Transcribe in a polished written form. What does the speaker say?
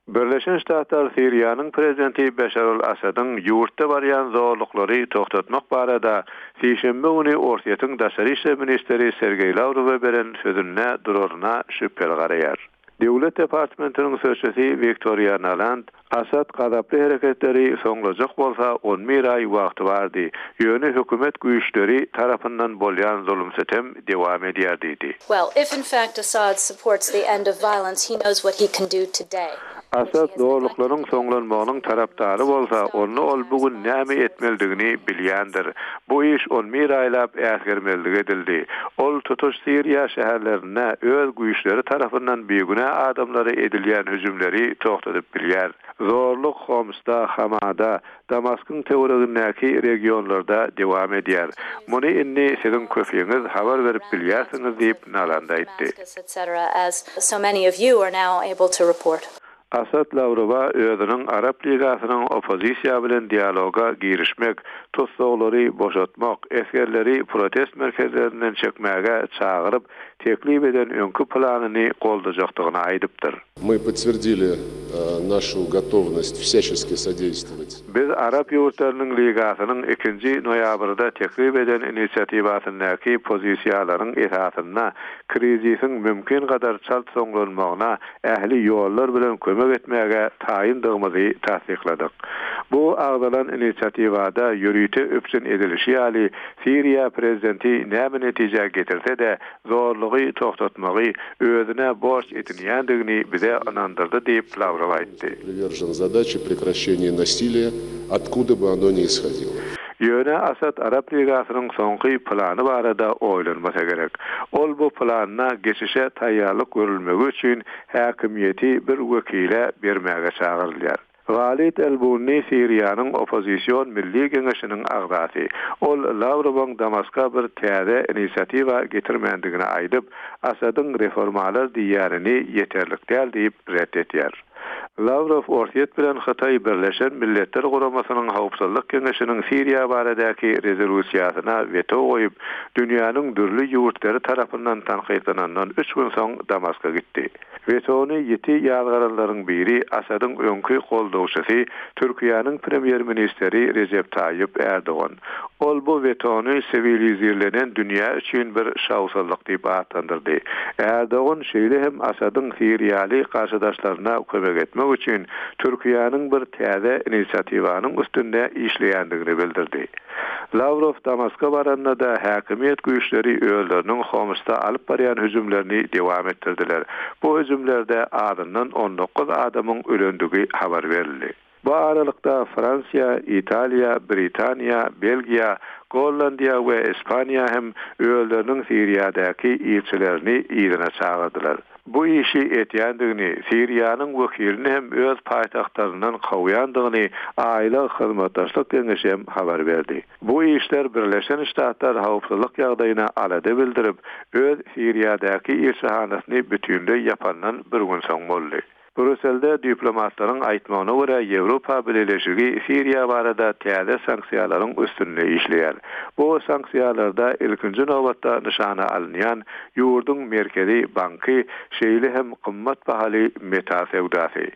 Birleşen Ştatlar Siriýanyň prezidenti Beşar al-Assadyň ýurtda barýan zorluklary togtatmak barada sişenbe güni Orsýetiň daşary işler ministri Sergeý Lawrowa beren sözünde duraryna şübheli garaýar. Döwlet departamentiniň sözçüsi Wiktoriýa Naland Assad gazaply hereketleri soňlajak bolsa on bir aý wagty bardy, ýöne hökümet güýçleri tarapyndan bolýan zulum-sütem dowam edýär diýdi. Well, if in fact Assad supports the end of violence, he knows what he can do today. Assad zorluklaryň soňlanmagynyň tarapdary bolsa, onda ol bu gün näme etmelidigini bilýändir. Bu iş on bir aýlap äsgermezlik edildi. Ol tutuş Siriýa şäherlerinde öz güýçleri tarapyndan bigünä adamlara edilýän hüjümleri togtadyp bilýär. Zorluk Homsda, Hamada, Damaskyň töweregindäki regionlarda dowam edýär. Muny indi siziň köpüňiz habar berip bilýärsiňiz diýip, Naland aýtdy. Asad Lawrowa özüniň Arap Ligasynyň oppozisiýa bilen dialoga girişmek, tussaglary boşatmak, esgerleri protest merkezlerinden çekmäge çagyryp, teklip eden öňki planyny goldajakdygyny aýdypdyr. Мы подтвердили нашу готовность всячески содействовать. Biz Arap ýurtlarynyň Ligasynyň ikinji noýabrda teklip eden inisiatiwasyndaky pozisiýalaryň esasynda krizisiň mümkin gadar çalt soňlanmagyna ähli ýollar bilen kömek etmäge taýyndygymyzy tassykladyk. Bu agzalan inisiatiwada ýörite üpjün edilişi ýaly, Siriýa prezidenti näme netijä getirse-de, zorlugy togtatmagy özüne borç edinýändigini bize ynandyrdy diýip, Lawrow aýtdy. Привержен задаче прекращения насилия, откуда бы оно ни исходило. Ýöne Asad Arap Ligasynyň soňky plany barada oýlanmasa gerek. Ol bu planyna geçişe taýýarlyk görülmegi üçin häkimiýeti bir wekile bermäge çagyrylýar. Walid el-Bunni Siriýanyň oppozision Milli geňeşiniň agzasy. Ol Lawrowyň Damaska bir täze inisiatiwa getirmändigini aýdyp, Asadyň reformalar diýýänini ýeterlik däl diýip ret etýär. Lawrow Orsýet bilen Hytaý Birleşen Milletler Guramasynyň Howpsuzlyk Geňeşiniň Siriýa baradaky rezolýusiýasyna weto goýup, dünýäniň dürli ýurtlary tarapyndan tankytlanandan üç gün soň Damaska gitdi. Wetony ýiti ýazgaranlaryň biri Asadyň öňki goldawçysy, Türkiýäniň premýer-ministri Rejep Taýyp Ärdogan. Ol bu wetony siwilizirlenen dünýä üçin bir şowsuzlyk diýip atlandyrdy. Ärdogan şeýle hem Asadyň siriýaly garşydaşlaryna kömek etmek üçin Türkiýäniň bir täze inisiatiwanyň üstünde işleýändigini bildirdi. Lawrow Damaska baranda-da häkimiýet güýçleri özleriniň Homsda alyp barýan hüjümlerini dowam etdirdiler. Bu hüjümlerde azyndan 19 adamyň ölendigi habar berildi. Bu aralykda Fransiýa, Italiýa, Britaniýa, Belgiýa, Gollandiýa we Ispaniýa hem özleriniň Siriýadaky ilçilerini yzyna çagyrdylar. Bu işi etýändigini, Siriýanyň wekilini hem öz paýtagtlaryndan kowýandygyny Aýlag hyzmatdaşlyk geňeşi hem habar berdi. Bu işler Birleşen Ştatlar howpsuzlyk ýagdaýyna alada bildirip, öz Siriýadaky ilçihanasyny bütinleý ýapandan bir gün soň boldy. Brýusselde diplomatlaryň aýtmagyna görä, Ýewropa Bileleşigi Siriýa barada täze sanksiýalaryň üstünde işleýär. Bu sanksiýalarda ilkinji nobatda nyşana alynýan ýurduň Merkezi banky, şeýle hem gymmat bahaly metal söwdasy.